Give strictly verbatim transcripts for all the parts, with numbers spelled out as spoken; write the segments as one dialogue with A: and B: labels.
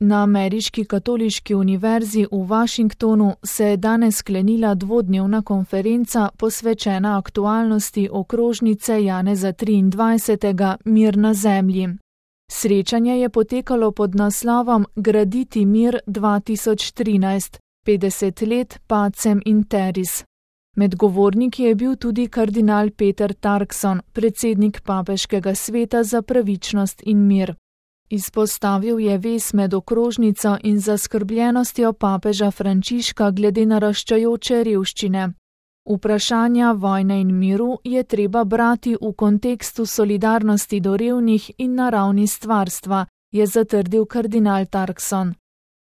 A: Na Ameriški katoliški univerzi v Washingtonu se je danes sklenila dvodnevna konferenca posvečena aktualnosti okrožnice Janeza triindvajsetega Mir na zemlji. Srečanje je potekalo pod naslovom Graditi mir dva tisoč trinajst, petdeset let Pacem in Terris. Med govorniki je bil tudi kardinal Peter Turkson, predsednik Papeškega sveta za pravičnost in mir. Izpostavil je vez med okrožnico in zaskrbljenostjo papeža Frančiška glede naraščajoče revščine. Vprašanja vojne in miru je treba brati v kontekstu solidarnosti do revnih in na ravni stvarstva, je zatrdil kardinal Turkson.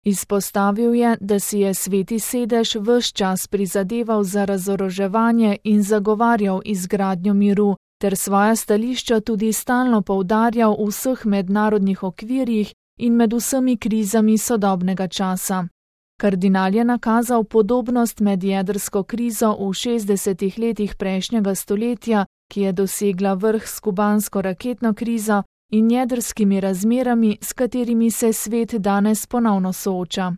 A: Izpostavil je, da si je Sveti sedež ves čas prizadeval za razoroževanje in zagovarjal izgradnjo miru, ter svoja stališča tudi stalno poudarjal v vseh mednarodnih okvirjih in med vsemi krizami sodobnega časa. Kardinal je nakazal podobnost med jedrsko krizo v šestdesetih letih prejšnjega stoletja, ki je dosegla vrh s kubansko raketno krizo, in jedrskimi razmerami, s katerimi se svet danes ponovno sooča.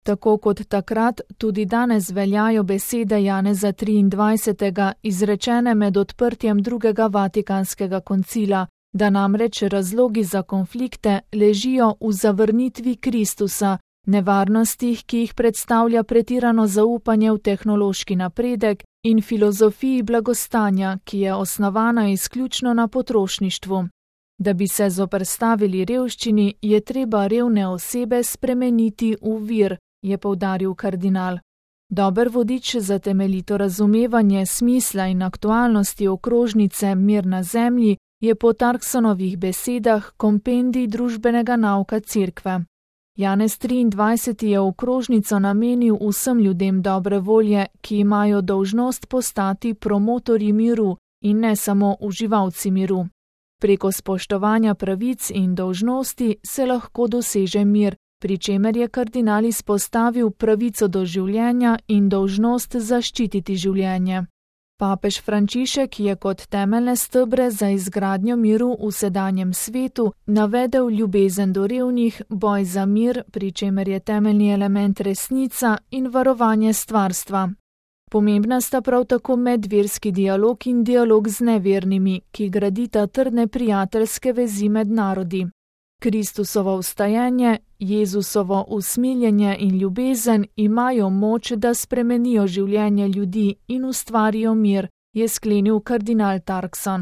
A: Tako kot takrat, tudi danes veljajo besede Janeza triindvajsetega izrečene med odprtjem drugega Vatikanskega koncila, da namreč razlogi za konflikte ležijo v zavrnitvi Kristusa, nevarnostih, ki jih predstavlja pretirano zaupanje v tehnološki napredek in filozofiji blagostanja, ki je osnovana izključno na potrošništvu. Da bi se zoperstavili revščini, je treba revne osebe spremeniti v vir, je poudaril kardinal. Dober vodič za temeljito razumevanje smisla in aktualnosti okrožnice Mir na zemlji je po Turksonovih besedah kompendij družbenega nauka Cerkve. Janez triindvajseti je okrožnico namenil vsem ljudem dobre volje, ki imajo dolžnost postati promotorji miru in ne samo uživalci miru. Preko spoštovanja pravic in dolžnosti se lahko doseže mir, pri čemer je kardinal izpostavil pravico do življenja in dolžnost zaščititi življenje. Papež Frančišek je kot temeljne stebre za izgradnjo miru v sedanjem svetu navedel ljubezen do revnih, boj za mir, pri čemer je temeljni element resnica in varovanje stvarstva. Pomembna sta prav tako medverski dialog in dialog z nevernimi, ki gradita trdne prijateljske vezi med narodi. Kristusovo vstajenje, Jezusovo usmiljenje in ljubezen imajo moč, da spremenijo življenje ljudi in ustvarijo mir, je sklenil kardinal Turkson.